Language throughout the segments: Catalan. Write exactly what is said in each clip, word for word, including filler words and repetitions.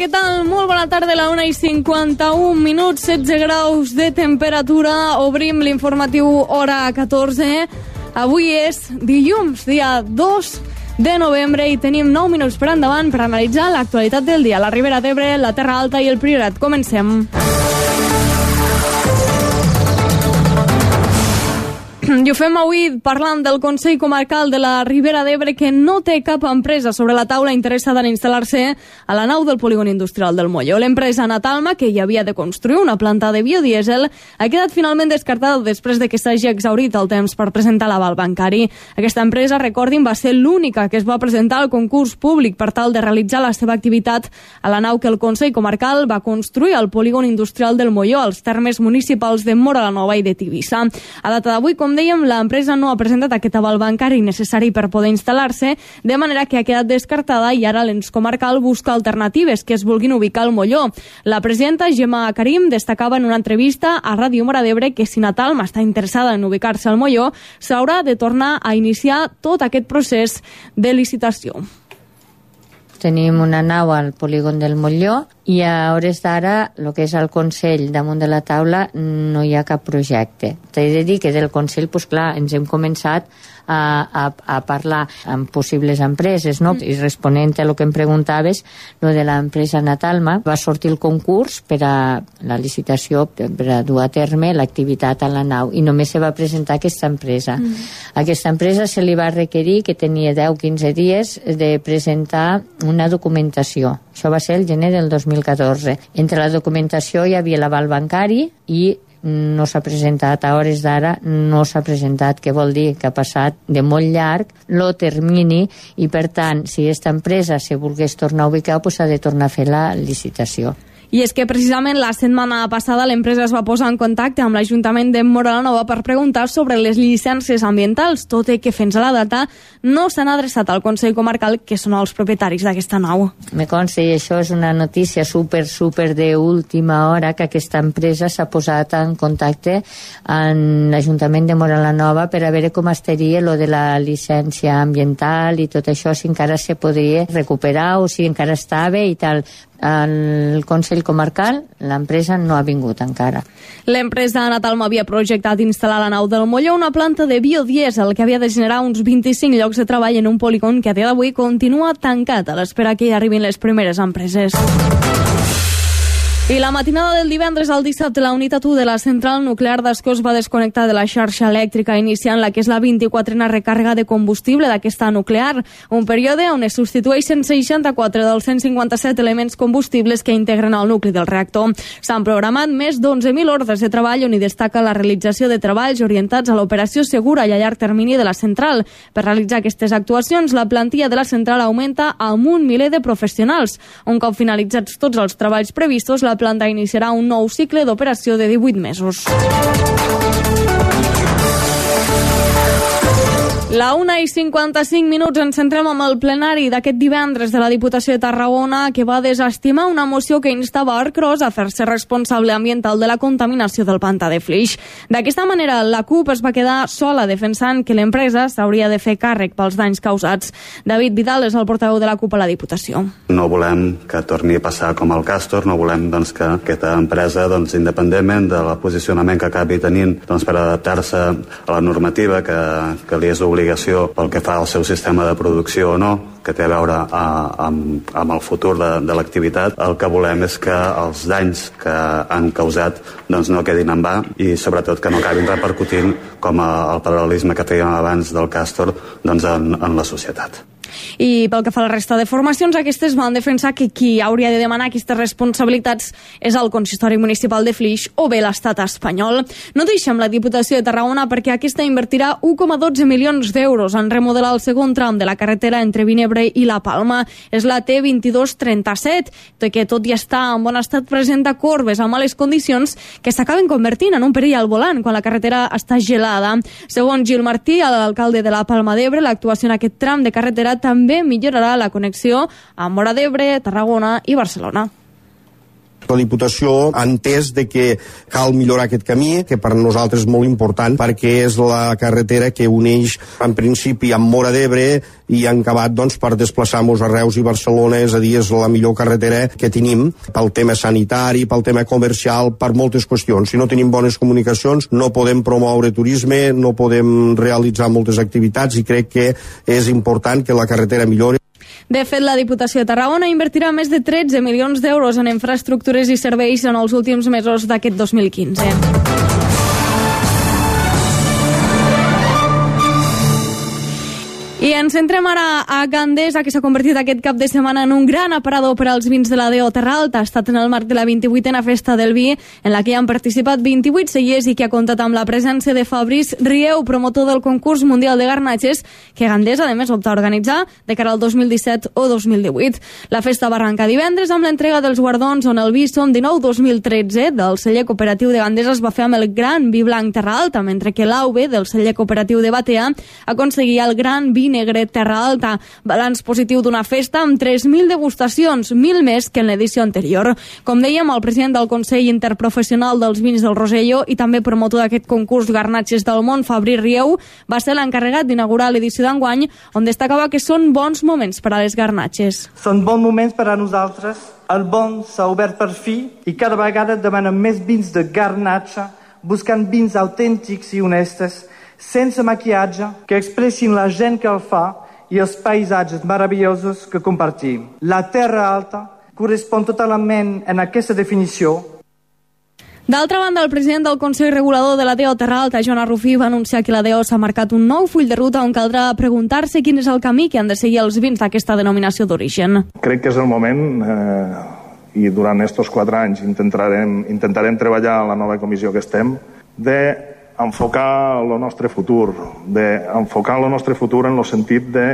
què tal? Molt bona tarda, a la una i cinquanta-un minuts, setze graus de temperatura. Obrim l'informatiu hora catorze. Avui és dilluns, dia dos de novembre, i tenim nou minuts per endavant per analitzar l'actualitat del dia. La Ribera d'Ebre, la Terra Alta i el Priorat. Comencem. I ho fem avui parlant del Consell Comarcal de la Ribera d'Ebre, que no té cap empresa sobre la taula interessada en instal·lar-se a la nau del polígon industrial del Molló. L'empresa Natalma, que hi havia de construir una planta de biodièsel, ha quedat finalment descartada després de que s'hagi exhaurit el temps per presentar l'aval bancari. Aquesta empresa, recordin, va ser l'única que es va presentar al concurs públic per tal de realitzar la seva activitat a la nau que el Consell Comarcal va construir al polígon industrial del Molló, als termes municipals de Móra la Nova i de Tivissa. A data d'avui, com dèiem, l'empresa no ha presentat aquest aval bancari necessari per poder instal·lar-se, de manera que ha quedat descartada i ara l'ens comarcal busca alternatives que es vulguin ubicar al Molló. La presidenta Gemma Karim destacava en una entrevista a Ràdio Móra d'Ebre que si Natalma està interessada en ubicar-se al Molló, s'haurà de tornar a iniciar tot aquest procés de licitació. Tenim una nau al polígon del Molló i a hores d'ara, el que és el Consell damunt de la taula, no hi ha cap projecte. T'he de dir que del Consell, doncs clar, ens hem començat a, a, a parlar amb possibles empreses, no? Mm. I responent a el que em preguntaves, lo de l'empresa Natalma, va sortir el concurs per a la licitació per a dur a terme l'activitat a la nau i només se va presentar aquesta empresa. Mm. Aquesta empresa se li va requerir que tenia deu a quinze dies de presentar una documentació. Això va ser el gener del dos mil catorze. Entre la documentació hi havia l'aval bancari i no s'ha presentat, a hores d'ara no s'ha presentat, que vol dir que ha passat de molt llarg el termini i per tant, si aquesta empresa se volgués tornar a ubicar, doncs s'ha de tornar a fer la licitació. I és que precisament la setmana passada l'empresa es va posar en contacte amb l'Ajuntament de Móra la Nova per preguntar sobre les llicències ambientals, tot i que fins a la data no s'han adreçat al Consell Comarcal, que són els propietaris d'aquesta nau. Me consta, i això és una notícia super, super d'última hora, que aquesta empresa s'ha posat en contacte amb l'Ajuntament de Móra la Nova per a veure com estaria lo de la llicència ambiental i tot això, si encara se podria recuperar o si encara estava i tal. El Consell Comarcal, l'empresa no ha vingut encara. L'empresa Natalma havia projectat instal·lar a la nau del Molló una planta de biodièsel que havia de generar uns vint-i-cinc llocs de treball en un polígon que a dia d'avui continua tancat a l'espera que hi arribin les primeres empreses. I la matinada del divendres al dissabte, la unitat u de la central nuclear d'Ascó es va desconnectar de la xarxa elèctrica, iniciant la que és la vint-i-quatrena recàrrega de combustible d'aquesta nuclear, un període on es substitueixen seixanta-quatre dels cent cinquanta-set elements combustibles que integren el nucli del reactor. S'han programat més d'onze mil ordres de treball, on hi destaca la realització de treballs orientats a l'operació segura i a llarg termini de la central. Per realitzar aquestes actuacions, la plantilla de la central augmenta amb un miler de professionals. Un cop finalitzats tots els treballs previstos, la planta iniciarà un nou cicle d'operació de divuit mesos. La una i cinquanta-cinc minuts, ens centrem amb el plenari d'aquest divendres de la Diputació de Tarragona, que va desestimar una moció que instava Arcros a fer-se responsable ambiental de la contaminació del pantà de Flix. D'aquesta manera, la CUP es va quedar sola defensant que l'empresa s'hauria de fer càrrec pels danys causats. David Vidal és el portaveu de la CUP a la Diputació. No volem que torni a passar com el Castor, no volem doncs, que aquesta empresa, doncs, independentment del posicionament que acabi tenint doncs, per adaptar-se a la normativa que, que li és obligatori pel que fa al seu sistema de producció o no, que té a veure a, amb, amb el futur de, de l'activitat. El que volem és que els danys que han causat doncs, no quedin en va i sobretot que no acabin repercutint com a, el paral·lelisme que fèiem abans del Castor doncs, en, en la societat. I pel que fa a la resta de formacions, aquestes van defensar que qui hauria de demanar aquestes responsabilitats és el Consistori Municipal de Flix o bé l'Estat espanyol. No deixem la Diputació de Tarragona perquè aquesta invertirà u coma dotze milions d'euros en remodelar el segon tram de la carretera entre Vinebre i La Palma. És la T vint-i-dos trenta-set, que tot i estar en bon estat presenta corbes a males condicions que s'acaben convertint en un perill al volant quan la carretera està gelada. Segons Gil Martí, l'alcalde de La Palma d'Ebre, l'actuació en aquest tram de carretera també millorarà la connexió amb Móra d'Ebre, Tarragona i Barcelona. La Diputació ha entès de que cal millorar aquest camí, que per nosaltres és molt important perquè és la carretera que uneix en principi amb Móra d'Ebre i en acabat doncs, per desplaçar-nos a Reus i Barcelona, és a dir, és la millor carretera que tenim pel tema sanitari, pel tema comercial, per moltes qüestions. Si no tenim bones comunicacions no podem promoure turisme, no podem realitzar moltes activitats i crec que és important que la carretera millori. De fet, la Diputació de Tarragona invertirà més de tretze milions d'euros en infraestructures i serveis en els últims mesos d'aquest dos mil quinze. I ens centrem ara a Gandesa, que s'ha convertit aquest cap de setmana en un gran aparador per als vins de la D O Terra Alta. Ha estat en el marc de la vint-i-vuitena Festa del Vi, en la que hi han participat vint-i-vuit cellers i que ha comptat amb la presència de Fabrice Rieu, promotor del concurs mundial de garnatges, que Gandesa, a més, opta a organitzar de cara al dos mil disset o dos mil divuit. La festa va arrencar divendres amb l'entrega dels guardons, on el vi Som dinou dos mil tretze del celler cooperatiu de Gandesa es va fer amb el gran vi blanc Terra Alta, mentre que l'A V del celler cooperatiu de Batea aconseguia el gran vi negre Terra Alta. Balanç positiu d'una festa amb tres mil degustacions, mil més que en l'edició anterior. Com dèiem, el president del Consell Interprofessional dels Vins del Rosselló i també promotor d'aquest concurs Garnatges del Món, Fabrice Rieu, va ser l'encarregat d'inaugurar l'edició d'enguany, on destacava que són bons moments per a les garnatges. Són bons moments per a nosaltres. El món s'ha obert per fi i cada vegada demanen més vins de garnatge, buscant vins autèntics i honestes, sense maquillatge, que expressin la gent que el fa i els paisatges meravellosos que compartim. La Terra Alta correspon totalment en aquesta definició. D'altra banda, el president del Consell Regulador de la D O Terra Alta, Joan Arrufí, va anunciar que la D O s'ha marcat un nou full de ruta on caldrà preguntar-se quin és el camí que han de seguir els vins d'aquesta denominació d'origen. Crec que és el moment, eh, i durant aquests quatre anys intentarem, intentarem treballar a la nova comissió que estem, de enfocar el nostre futur, d'enfocar el nostre futur en el sentit de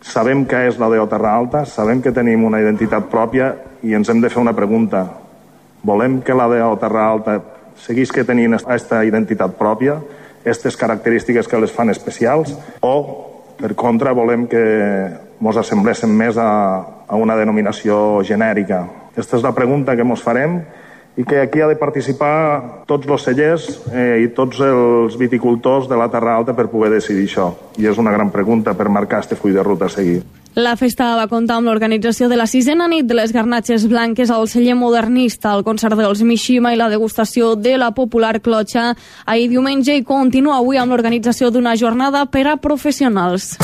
sabem què és la D O Terra Alta, sabem que tenim una identitat pròpia i ens hem de fer una pregunta. Volem que la D O Terra Alta seguisca tenint aquesta identitat pròpia, aquestes característiques que les fan especials, o, per contra, volem que ens assembléssim més a, a una denominació genèrica? Aquesta és la pregunta que ens farem i que aquí ha de participar tots els cellers eh, i tots els viticultors de la Terra Alta per poder decidir això. I és una gran pregunta per marcar este full de ruta a seguir. La festa va comptar amb l'organització de la sisena nit de les garnatges blanques al celler modernista, el concert dels Mishima i la degustació de la popular clotxa ahir diumenge, i continua avui amb l'organització d'una jornada per a professionals.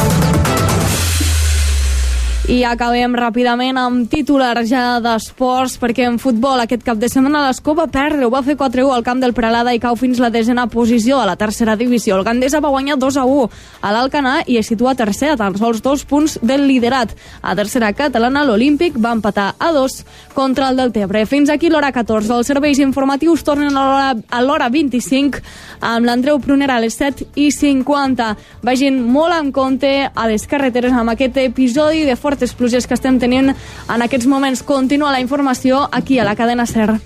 I acabem ràpidament amb titulars ja d'esports, perquè en futbol aquest cap de setmana l'Escó va perdre, ho va fer quatre a u al camp del Peralada i cau fins la desena posició a la tercera divisió. El Gandesa va guanyar dos a u a l'Alcanar i es situa tercer a tan sols dos punts del liderat. A tercera catalana l'Olímpic va empatar a dos contra el Deltebre. Fins aquí l'hora catorze. Els serveis informatius tornen a l'hora vint-i-cinc amb l'Andreu Prunera a les set i cinquanta. Vagin molt en compte a les carreteres amb aquest episodi de fortes pluges que estem tenint en aquests moments. Continua la informació aquí a la cadena SER.